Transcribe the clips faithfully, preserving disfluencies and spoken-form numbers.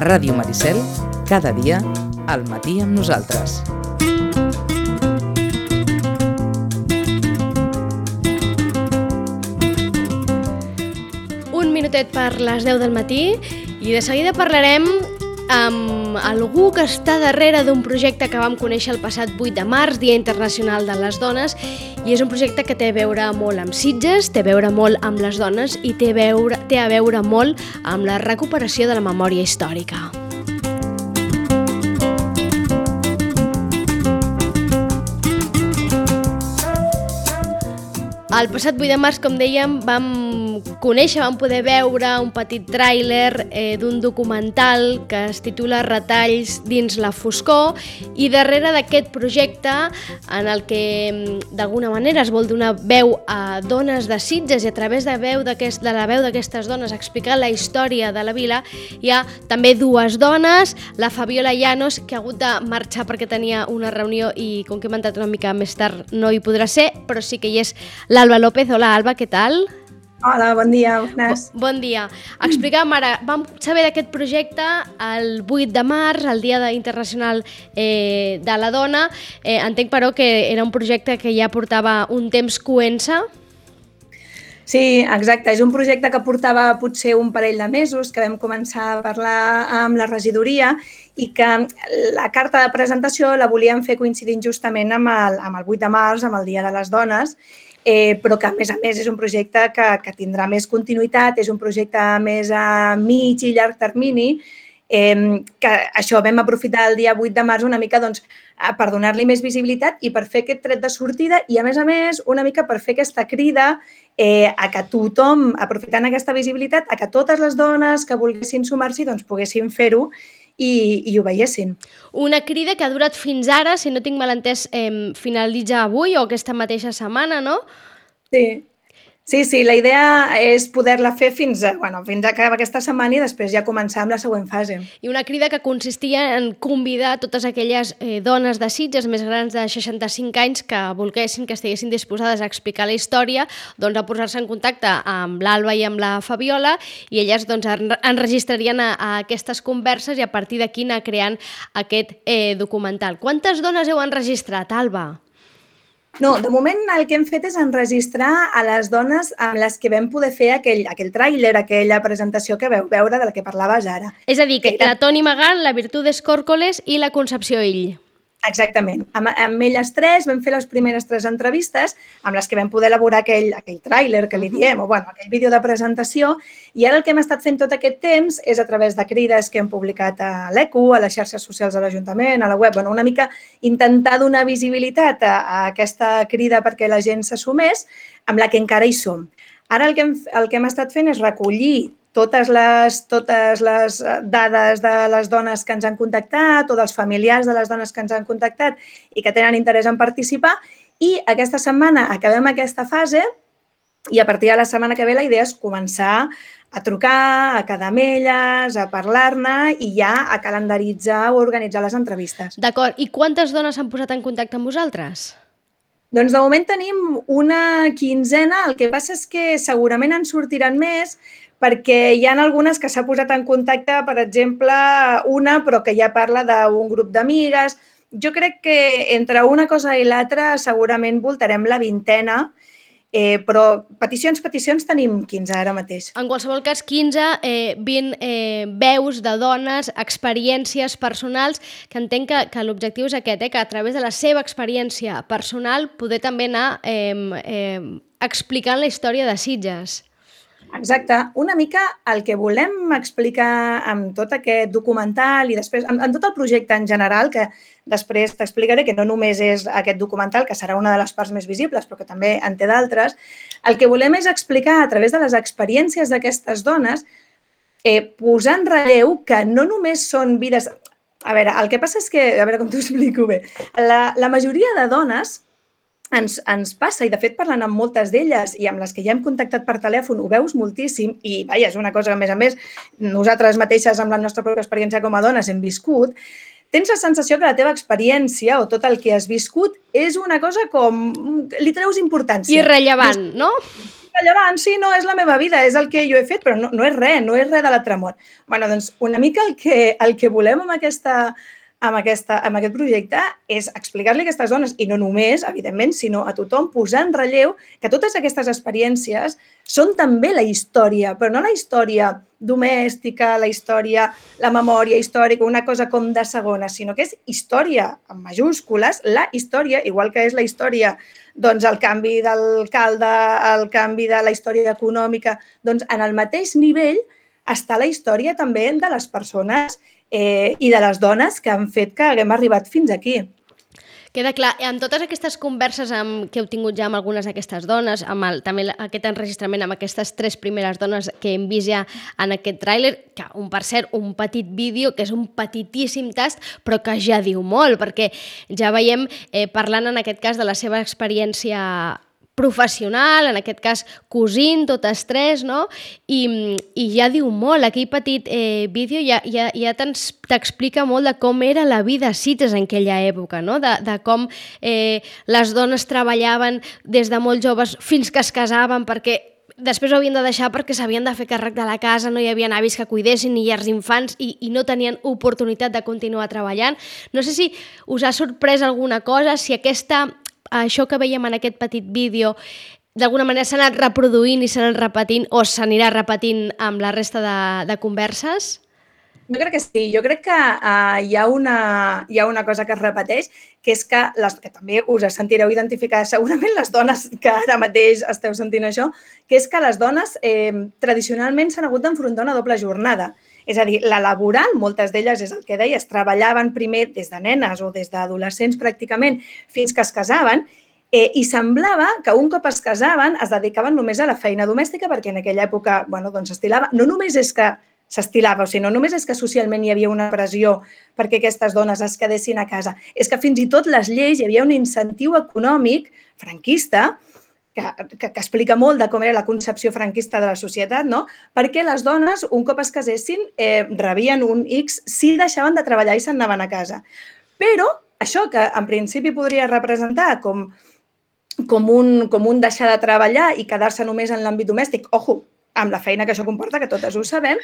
A Ràdio Maricel, cada dia, al matí amb nosaltres. Un minutet per les deu del matí i de seguida parlarem amb algú que està darrere d'un projecte que vam conèixer el passat vuit de març, Dia Internacional de les Dones, i és un projecte que té a veure molt amb Sitges, té a veure molt amb les dones i té a veure, té a veure molt amb la recuperació de la memòria històrica. El passat vuit de març, com dèiem, vam conèixer, vam poder veure un petit tràiler eh, d'un documental que es titula Retalls dins la foscor, i darrere d'aquest projecte, en el que d'alguna manera es vol donar veu a dones de Sitges i a través de, veu d'aquest, de la veu d'aquestes dones explicar la història de la vila, hi ha també dues dones, la Fabiola Llanos, que ha hagut de marxar perquè tenia una reunió i com que hem entrat una mica més tard no hi podrà ser, però sí que hi és l'Alba López. Hola, Alba, què tal? Hola, bon dia, bones. Bo, bon dia. Explica'm ara, vam saber d'aquest projecte el vuit de març, el Dia Internacional eh, de la Dona. Eh, entenc, però, que era un projecte que ja portava un temps coent-se. Sí, exacte. És un projecte que portava potser un parell de mesos, que vam començar a parlar amb la regidoria i que la carta de presentació la volíem fer coincidint justament amb el, amb el vuit de març, amb el Dia de les Dones, Eh, però que, a més a més, és un projecte que, que tindrà més continuïtat, és un projecte més a mig i llarg termini, eh, que això vam aprofitar el dia vuit de març una mica doncs, per donar-li més visibilitat i per fer aquest tret de sortida i, a més a més, una mica per fer aquesta crida eh, a que tothom, aprofitant aquesta visibilitat, a que totes les dones que volguessin sumar-s'hi doncs, poguessin fer-ho i, i ho veiessin. Una crida que ha durat fins ara, si no tinc mal entès, eh, finalitza avui o aquesta mateixa setmana, no? Sí. Sí, sí, la idea és poder-la fer fins a, bueno, fins a acabar aquesta setmana i després ja començar amb la següent fase. I una crida que consistia en convidar totes aquelles eh, dones de Sitges més grans de seixanta-cinc anys que volguessin, que estiguessin disposades a explicar la història, doncs a posar-se en contacte amb l'Alba i amb la Fabiola i elles doncs enregistrarien a, a aquestes converses i a partir d'aquí anar creant aquest eh, documental. Quantes dones heu enregistrat, Alba? No, de moment el que hem fet és enregistrar a les dones amb les que vam poder fer aquell, aquell tràiler, aquella presentació que veu veure de la que parlaves ara. És a dir, que la Toni Magal, la Virtudes Córcoles i la Concepció Ill. Exactament. Amb, amb elles tres vam fer les primeres tres entrevistes amb les que vam poder elaborar aquell, aquell tràiler que li diem, o bueno, aquell vídeo de presentació, i ara el que hem estat fent tot aquest temps és a través de crides que hem publicat a l'E C U, a les xarxes socials de l'Ajuntament, a la web, bueno, una mica intentar donar visibilitat a, a aquesta crida perquè la gent s'assumés, amb la que encara hi som. Ara el que hem, el que hem estat fent és recollir totes les, totes les dades de les dones que ens han contactat o dels familiars de les dones que ens han contactat i que tenen interès en participar i aquesta setmana acabem aquesta fase i a partir de la setmana que ve la idea és començar a trucar, a quedar amb elles, a parlar-ne i ja a calendaritzar o organitzar les entrevistes. D'acord. I quantes dones s'han posat en contacte amb vosaltres? Doncs de moment tenim una quinzena, el que passa és que segurament en sortiran més perquè hi ha algunes que s'ha posat en contacte, per exemple, una, però que ja parla d'un grup d'amigues. Jo crec que entre una cosa i l'altra segurament voltarem la vintena, eh, però peticions, peticions tenim quinze ara mateix. En qualsevol cas, quinze, eh, vint eh, veus de dones, experiències personals, que entenc que, que l'objectiu és aquest, eh, que a través de la seva experiència personal poder també anar eh, eh, explicant la història de Sitges. Exacte. Una mica el que volem explicar amb tot aquest documental i després amb, amb tot el projecte en general, que després t'explicaré que no només és aquest documental, que serà una de les parts més visibles, però que també en té d'altres, el que volem és explicar a través de les experiències d'aquestes dones, eh, posar en relleu que no només són vides... A veure, el que passa és que, a veure com t'ho explico bé, la, la majoria de dones Ens, ens passa, i de fet parlant amb moltes d'elles i amb les que ja hem contactat per telèfon, ho veus moltíssim i vaja, és una cosa que a més a més nosaltres mateixes amb la nostra pròpia experiència com a dones hem viscut, tens la sensació que la teva experiència o tot el que has viscut és una cosa com... li treus importància. Irrellevant, no? rellevant, sí, no, és la meva vida, és el que jo he fet, però no, no és res, no és res de l'altre món. Bueno, doncs una mica el que, el que volem amb, aquesta, amb, aquesta, amb aquest projecte és explicar-li a aquestes dones, i no només, evidentment, sinó a tothom, posar en relleu que totes aquestes experiències són també la història, però no la història domèstica, la història, la memòria històrica, una cosa com de segona, sinó que és història, amb majúscules, la història, igual que és la història, doncs el canvi d'alcalde, el canvi de la història econòmica, doncs en el mateix nivell està la història també de les persones eh, i de les dones que han fet que haguem arribat fins aquí. Queda clar, amb totes aquestes converses amb, que heu tingut ja amb algunes d'aquestes dones, amb el, també aquest enregistrament amb aquestes tres primeres dones que hem vist ja en aquest tràiler, que un, per cert, un petit vídeo, que és un petitíssim tast, però que ja diu molt, perquè ja veiem, eh, parlant en aquest cas de la seva experiència professional, en aquest cas cosint, totes tres, no? I, i ja diu molt, aquell petit eh, vídeo ja, ja, ja t'explica molt de com era la vida a Sitges en aquella època, no? De, de com eh, les dones treballaven des de molt joves fins que es casaven, perquè després ho havien de deixar perquè s'havien de fer càrrec de la casa, no hi havia avis que cuidessin ni llars d'infants i, i no tenien oportunitat de continuar treballant. No sé si us ha sorprès alguna cosa, si aquesta això que veiem en aquest petit vídeo d'alguna manera s'ha anat reproduint i s'ha anat repetint o s'anirà repetint amb la resta de, de converses? Jo crec que sí. Jo crec que uh, hi, ha una, hi ha una cosa que es repeteix, que és que, les, que també us sentireu identificar segurament les dones que ara mateix esteu sentint això, que és que les dones eh, tradicionalment s'han hagut d'enfrontar una doble jornada. És a dir, la laboral, moltes d'elles, és el que deies, treballaven primer des de nenes o des d'adolescents pràcticament fins que es casaven eh, i semblava que un cop es casaven es dedicaven només a la feina domèstica perquè en aquella època bueno, doncs s'estilava. No només és que s'estilava, o sigui, no només és que socialment hi havia una pressió perquè aquestes dones es quedessin a casa, és que fins i tot les lleis hi havia un incentiu econòmic franquista Que, que, que explica molt de com era la concepció franquista de la societat, no? Perquè les dones, un cop es casessin, eh, rebien un X si deixaven de treballar i se'n anaven a casa. Però això que en principi podria representar com, com, un, com un deixar de treballar i quedar-se només en l'àmbit domèstic, ojo, amb la feina que això comporta, que totes ho sabem,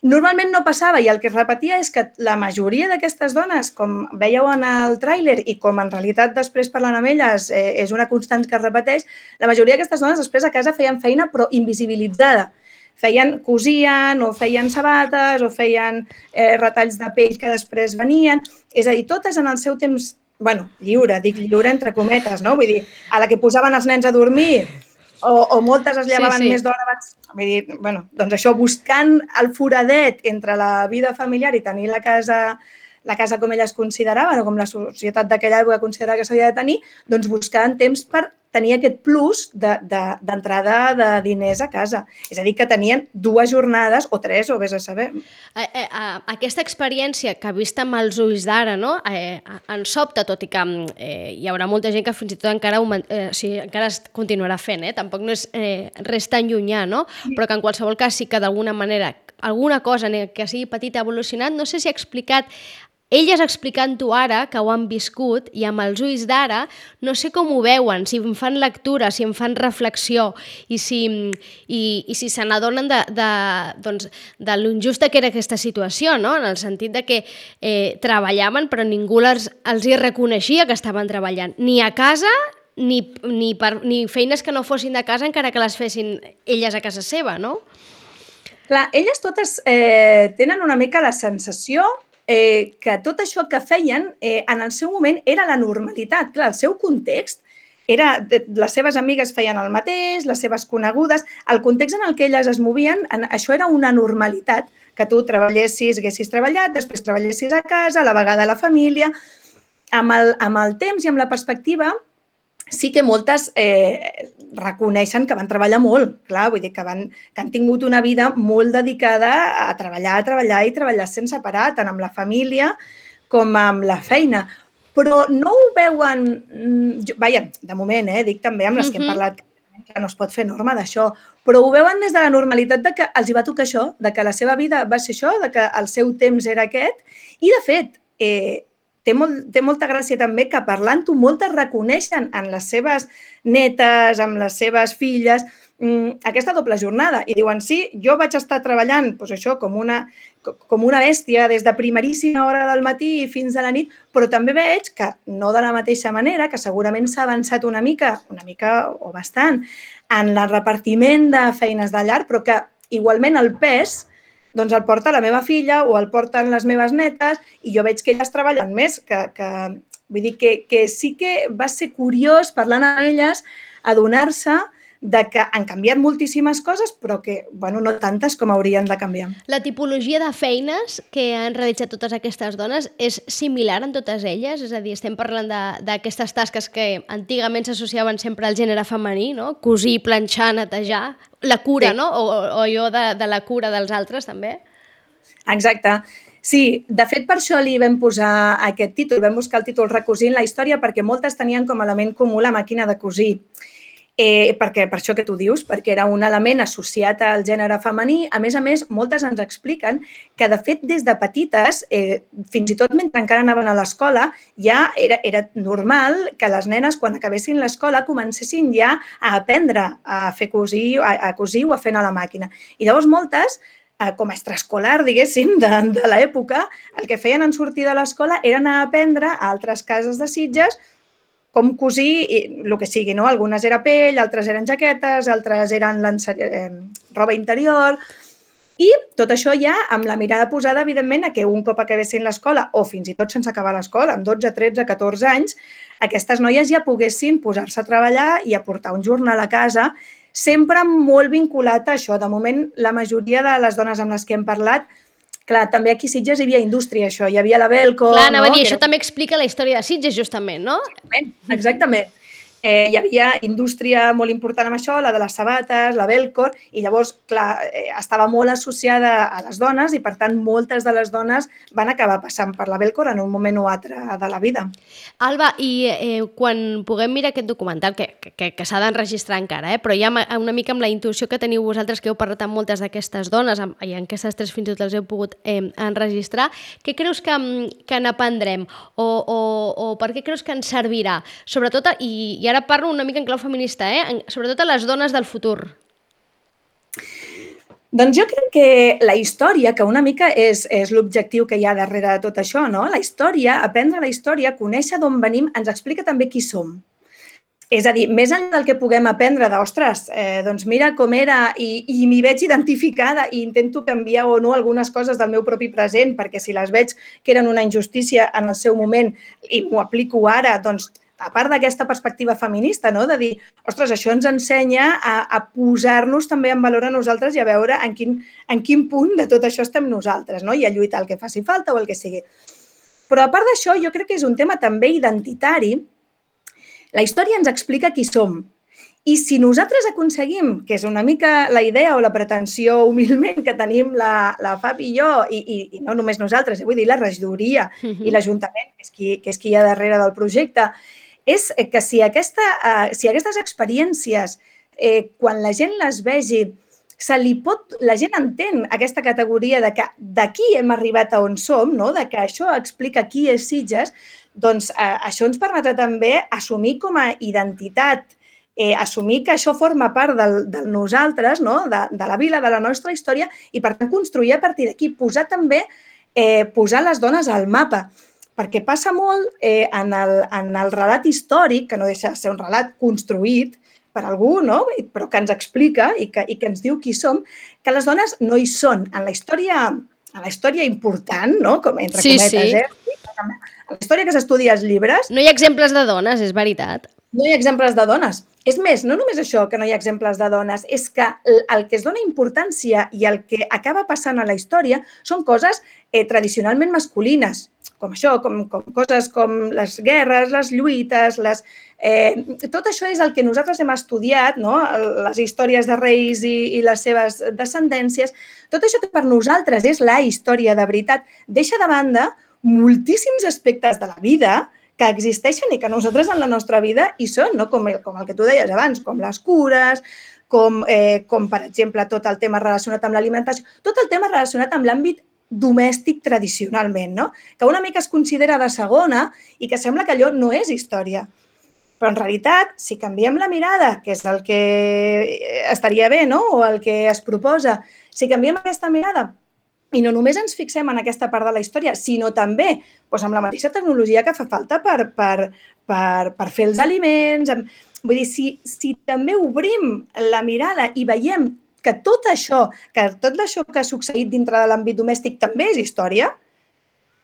normalment no passava i el que es repetia és que la majoria d'aquestes dones, com veieu en el tràiler i com en realitat després parlant amb elles eh, és una constant que es repeteix, la majoria d'aquestes dones després a casa feien feina però invisibilitzada. Feien, cosien o feien sabates o feien eh, retalls de pell que després venien. És a dir, totes en el seu temps, bueno, lliure, dic lliure entre cometes, no? Vull dir, a la que posaven els nens a dormir O, o moltes es llevaven sí, sí. més d'hora abans. Vull dir, bueno, doncs això, buscant el foradet entre la vida familiar i tenir la casa, la casa com elles consideraven o com la societat d'aquella època considerava que s'havia de tenir, doncs buscaven temps per tenir aquest plus d'entrada de, de, de diners a casa. És a dir, que tenien dues jornades o tres, o vés a saber. Eh, eh, aquesta experiència que vista amb els ulls d'ara, no? eh, ens sobta, tot i que eh, hi haurà molta gent que fins i tot encara, eh, o sigui, encara es continuarà fent, eh? Tampoc no és eh, res tan llunyà, no? Però que en qualsevol cas sí que d'alguna manera alguna cosa que sigui petita ha evolucionat. No sé si ha explicat elles explicant-ho ara, que ho han viscut, i amb els ulls d'ara, no sé com ho veuen, si em fan lectura, si em fan reflexió, i si, i, i si se n'adonen de, de, doncs, de l'injusta que era aquesta situació, no? En el sentit de que eh, treballaven però ningú les, els hi reconeixia que estaven treballant, ni a casa ni, ni, per, ni feines que no fossin de casa encara que les fessin elles a casa seva, no? Clar, elles totes eh, tenen una mica la sensació Eh, que tot això que feien eh, en el seu moment era la normalitat. Clar, el seu context era, les seves amigues feien el mateix, les seves conegudes, el context en el que elles es movien, en, això era una normalitat, que tu treballessis, haguessis treballat, després treballessis a casa, a la vegada a la família. Amb el, amb el temps i amb la perspectiva, sí que moltes eh, reconeixen que van treballar molt, clar, vull dir que, van, que han tingut una vida molt dedicada a treballar, a treballar i treballar sense parar, tant amb la família com amb la feina. Però no ho veuen, vaja, de moment, eh, dic també amb les que hem parlat, que no es pot fer norma d'això, però ho veuen des de la normalitat de que els hi va tocar això, de que la seva vida va ser això, de que el seu temps era aquest, i de fet, eh, Té, molt, té molta gràcia també que parlant-ho moltes reconeixen en les seves netes, amb les seves filles, aquesta doble jornada. I diuen, sí, jo vaig estar treballant doncs això com una, com una bèstia des de primeríssima hora del matí fins a la nit, però també veig que no de la mateixa manera, que segurament s'ha avançat una mica, una mica o bastant, en el repartiment de feines de llar, però que igualment el pes doncs el porta la meva filla o el porten les meves netes i jo veig que elles treballen més, que, que vull dir que, que sí que va ser curiós parlant amb elles adonar-se de que han canviat moltíssimes coses, però que, bueno, no tantes com haurien de canviar. La tipologia de feines que han realitzat totes aquestes dones és similar en totes elles? És a dir, estem parlant d'aquestes tasques que antigament s'associaven sempre al gènere femení, no? Cosir, planxar, netejar, la cura, sí. No? O, o jo de, de la cura dels altres, també? Exacte. Sí, de fet, per això li vam posar aquest títol, vam buscar el títol Recosint la història, perquè moltes tenien com a element comú la màquina de cosir. Eh, perquè, per això que tu dius, perquè era un element associat al gènere femení. A més a més, moltes ens expliquen que, de fet, des de petites, eh, fins i tot mentre encara anaven a l'escola, ja era, era normal que les nenes, quan acabessin l'escola, comencessin ja a aprendre a fer cosir, a, a cosir o a fer a la màquina. I llavors moltes, eh, com a extraescolar, diguéssim, de, de l'època, el que feien en sortir de l'escola era anar a aprendre a altres cases de Sitges com cosir, el que sigui, no? Algunes era pell, altres eren jaquetes, altres eren eh, roba interior. I tot això ja amb la mirada posada, evidentment, a que un cop acabessin l'escola, o fins i tot sense acabar l'escola, amb dotze, tretze, catorze anys, aquestes noies ja poguessin posar-se a treballar i aportar un jornal a casa, sempre molt vinculat a això. De moment, la majoria de les dones amb les que hem parlat, clar, també aquí a Sitges hi havia indústria, això. Hi havia la Belco... Clar, anava no? a dir, això era... també explica la història de Sitges, justament, no? Exactament, exactament. Eh, hi havia indústria molt important amb això, la de les sabates, la Belcor, i llavors, clar, eh, estava molt associada a les dones i, per tant, moltes de les dones van acabar passant per la Belcor en un moment o altre de la vida. Alba, i eh, quan puguem mirar aquest documental, que, que, que s'ha d'enregistrar encara, eh, però ja una mica amb la intuïció que teniu vosaltres, que heu parlat amb moltes d'aquestes dones, i en aquestes tres fins i tot les heu pogut eh, enregistrar, què creus que, que n'aprendrem? O, o, o per què creus que ens servirà? Sobretot, i, i ara parlo una mica en clau feminista, eh? Sobretot a les dones del futur. Doncs jo crec que la història, que una mica és, és l'objectiu que hi ha darrere de tot això, no? La història, aprendre la història, conèixer d'on venim, ens explica també qui som. És a dir, més enllà del que puguem aprendre de, ostres, eh, doncs mira com era i, i m'hi veig identificada i intento canviar o no algunes coses del meu propi present, perquè si les veig que eren una injustícia en el seu moment i m'ho aplico ara, doncs a part d'aquesta perspectiva feminista, no? De dir, ostres, això ens ensenya a, a posar-nos també en valor a nosaltres i a veure en quin, en quin punt de tot això estem nosaltres, no? I a lluitar el que faci falta o el que sigui. Però a part d'això, jo crec que és un tema també identitari. La història ens explica qui som. I si nosaltres aconseguim, que és una mica la idea o la pretensió humilment que tenim la, la Fabi i jo, i, i, i no només nosaltres, vull dir, la regidoria uh-huh. i l'Ajuntament, que és qui, que és qui hi ha darrere del projecte, és que si, aquesta, eh, si aquestes experiències, eh, quan la gent les vegi, se li pot, la gent entén aquesta categoria de que d'aquí hem arribat a on som, no? De que això explica qui és Sitges, doncs eh, això ens permetrà també assumir com a identitat, eh, assumir que això forma part del, del nosaltres, no? de, de la vila, de la nostra història, i per tant construir a partir d'aquí, posar també, eh, posar les dones al mapa. Perquè passa molt eh, en, el, en el relat històric, que no deixa de ser un relat construït per algú, no? Però que ens explica i que, i que ens diu qui som, que les dones no hi són. En la història, en la història important, no? Com entre sí, cometes, sí. eh? En la història que s'estudia als llibres... No hi ha exemples de dones, és veritat. No hi ha exemples de dones. És més, no només això, que no hi ha exemples de dones, és que el que es dona importància i el que acaba passant a la història són coses eh, tradicionalment masculines, com això, com, com coses com les guerres, les lluites, les, eh, tot això és el que nosaltres hem estudiat, no? Les històries de reis i, i les seves descendències. Tot això que per nosaltres és la història de veritat deixa de banda moltíssims aspectes de la vida que existeixen i que nosaltres en la nostra vida hi són, no? com, el, com el que tu deies abans, com les cures, com, eh, com per exemple tot el tema relacionat amb l'alimentació, tot el tema relacionat amb l'àmbit domèstic tradicionalment, no? Que una mica es considera de segona i que sembla que allò no és història. Però en realitat, si canviem la mirada, que és el que estaria bé, no? O el que es proposa, si canviem aquesta mirada i no només ens fixem en aquesta part de la història, sinó també doncs amb la mateixa tecnologia que fa falta per, per, per, per fer els aliments. Vull dir, si, si també obrim la mirada i veiem que tot això, que tot això que ha succeït dintre de l'àmbit domèstic també és història,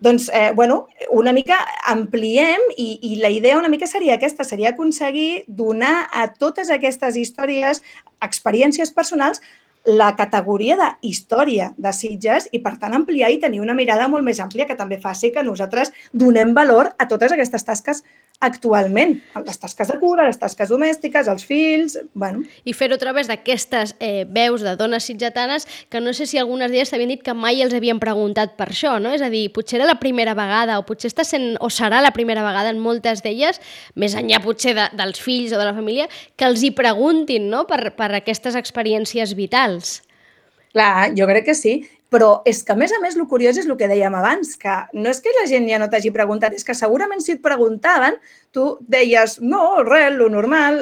doncs, eh, bueno, una mica ampliem i, i la idea una mica seria aquesta, seria aconseguir donar a totes aquestes històries, experiències personals, la categoria de història de Sitges i, per tant, ampliar i tenir una mirada molt més àmplia que també faci que nosaltres donem valor a totes aquestes tasques actualment, les tasques de cura, les tasques domèstiques, els fills... Bueno. I fer-ho a través d'aquestes eh, veus de dones sitgetanes que no sé si algunes d'elles t'havien dit que mai els havien preguntat per això, no? És a dir, potser era la primera vegada o potser està sent, o serà la primera vegada en moltes d'elles, més enllà potser de, dels fills o de la família, que els hi preguntin, no? per, per aquestes experiències vitals. Clar, jo crec que sí, però és que, a més a més, el curiós és el que dèiem abans, que no és que la gent ja no t'hagi preguntat, és que segurament si et preguntaven, tu deies, no, res, lo normal,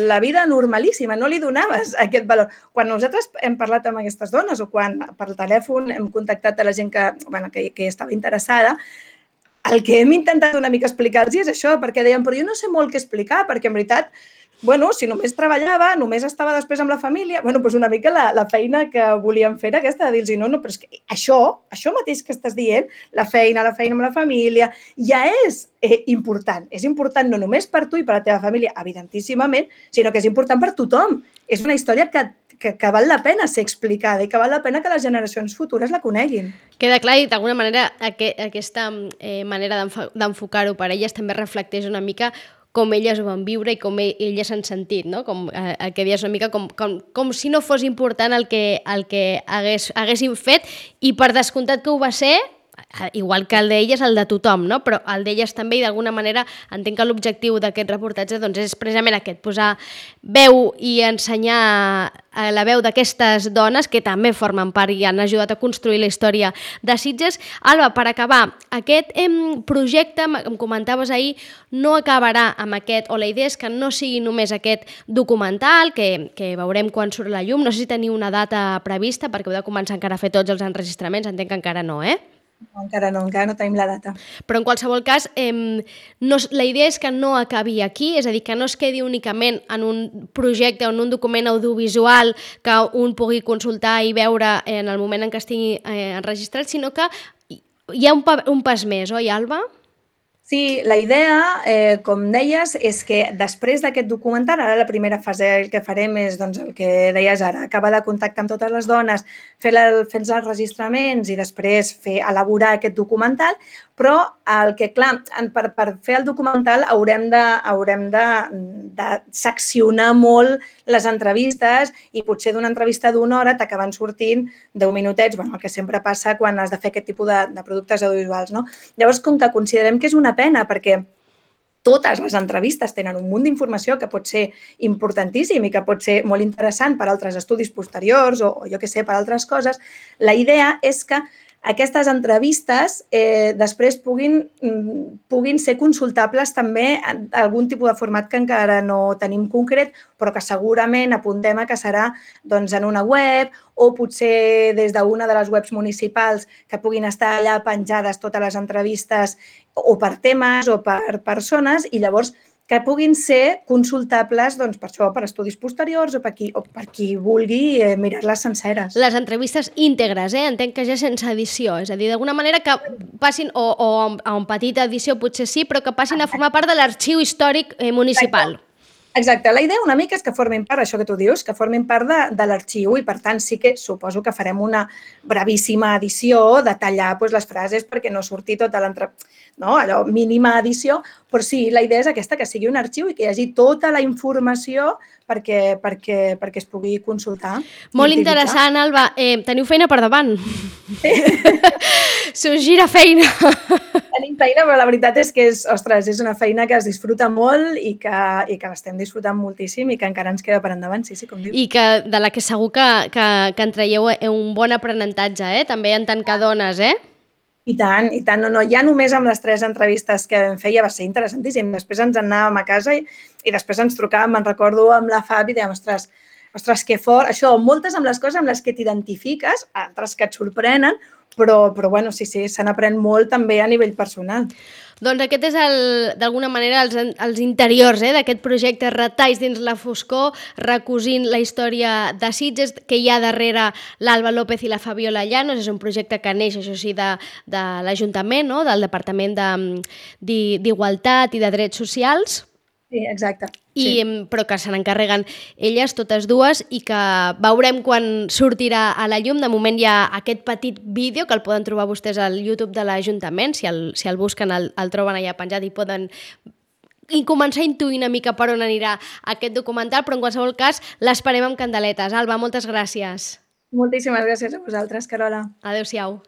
la vida normalíssima, no li donaves aquest valor. Quan nosaltres hem parlat amb aquestes dones o quan per telèfon hem contactat a la gent que, bueno, que, que estava interessada, el que hem intentat una mica explicar-los és això, perquè deien, però jo no sé molt què explicar, perquè en veritat, bueno, si només treballava, només estava després amb la família, bueno, doncs una mica la, la feina que volíem fer era aquesta, de dir-los, no, no, però és que això, això mateix que estàs dient, la feina, la feina amb la família, ja és eh, important. És important no només per tu i per la teva família, evidentíssimament, sinó que és important per tothom. És una història que, que, que val la pena ser explicada i que val la pena que les generacions futures la coneguin. Queda clar i d'alguna manera aqu aquesta eh, manera d'enfocar-ho per elles també reflecteix una mica com elles ho van viure i com elles s'han sentit, no? Com, eh, el que deies una mica com, com, com si no fos important el que, el que hagués, haguessin fet i per descomptat que ho va ser, igual que el d'elles, el de tothom, no? Però el d'elles també i d'alguna manera entenc que l'objectiu d'aquest reportatge doncs, és precisament aquest, posar veu i ensenyar la veu d'aquestes dones que també formen part i han ajudat a construir la història de Sitges. Alba, per acabar, aquest em, projecte, em comentaves ahir, no acabarà amb aquest, o la idea és que no sigui només aquest documental, que, que veurem quan surt la llum, no sé si teniu una data prevista, perquè heu de començar encara a fer tots els enregistraments, entenc que encara no, eh? No, encara no, encara no tenim la data. Però en qualsevol cas, eh, no, la idea és que no acabi aquí, és a dir, que no es quedi únicament en un projecte o en un document audiovisual que un pugui consultar i veure en el moment en què estigui eh, enregistrat, sinó que hi ha un, pa, un pas més, oi, Alba? Sí, la idea, eh, com deies, és que després d'aquest documental, ara la primera fase el que farem és doncs, el que deies ara, acabar de contactar amb totes les dones, fer, la, fer els enregistraments i després fer elaborar aquest documental, però el que, clar, per, per fer el documental haurem de, haurem de, de seccionar molt les entrevistes i potser d'una entrevista d'una hora t'acaben sortint deu minutets, bueno, el que sempre passa quan has de fer aquest tipus de, de productes audiovisuals, no? Llavors, com que considerem que és una pena perquè totes les entrevistes tenen un munt d'informació que pot ser importantíssim i que pot ser molt interessant per altres estudis posteriors o, o jo què sé, per altres coses, la idea és que aquestes entrevistes eh, després puguin, puguin ser consultables també en algun tipus de format que encara no tenim concret, però que segurament apuntem a que serà doncs, en una web o potser des d'una de les webs municipals que puguin estar allà penjades totes les entrevistes o per temes o per persones i llavors que puguin ser consultables doncs, per això, per estudis posteriors o per qui, o per qui vulgui eh, mirar-les senceres. Les entrevistes íntegres, eh? Entenc que ja sense edició, és a dir, d'alguna manera que passin, o, o a una petita edició potser sí, però que passin a formar part de l'arxiu històric eh, municipal. Exacte. Exacte, la idea una mica és que formin part, això que tu dius, que formin part de, de l'arxiu i per tant sí que suposo que farem una brevíssima edició de tallar doncs, les frases perquè no surti tota l'entre... no, allò, mínima edició, però sí, la idea és aquesta, que sigui un arxiu i que hi hagi tota la informació perquè, perquè, perquè es pugui consultar. Molt interessant, Alba. Eh, teniu feina per davant. Sí. S'us gira feina. Tenim feina, però la veritat és que és, ostres, és una feina que es disfruta molt i que, i que l'estem disfrutant moltíssim i que encara ens queda per endavant, sí, sí, com dius. I que de la que segur que, que, que en traieu un bon aprenentatge, eh? També en tant que dones, eh? I tant, i tant. No, no, ja només amb les tres entrevistes que vam fer ja va ser interessantíssim. Després ens en anàvem a casa i, i després ens trucàvem, me'n recordo, amb la Fabi i dèiem, ostres, ostres, que fort. Això, moltes amb les coses amb les que t'identifiques, altres que et sorprenen, però, però bueno, sí, sí, se n'aprèn molt també a nivell personal. Doncs aquest és, d'alguna manera, els, els interiors eh, d'aquest projecte Retalls dins la foscor, recosint la història de Sitges, que hi ha darrere l'Alba López i la Fabiola Llanos. És un projecte que neix, això sí, de, de l'Ajuntament, no? Del Departament d'Igualtat i de Drets Socials. Sí, exacte. I, sí. Però que se n'encarreguen elles, totes dues, i que veurem quan sortirà a la llum. De moment hi ha aquest petit vídeo que el poden trobar vostès al YouTube de l'Ajuntament. Si el, si el busquen, el, el troben allà penjat i poden i començar a intuir una mica per on anirà aquest documental, però en qualsevol cas l'esperem amb candeletes. Alba, moltes gràcies. Moltíssimes gràcies a vosaltres, Carola. Adéu-siau.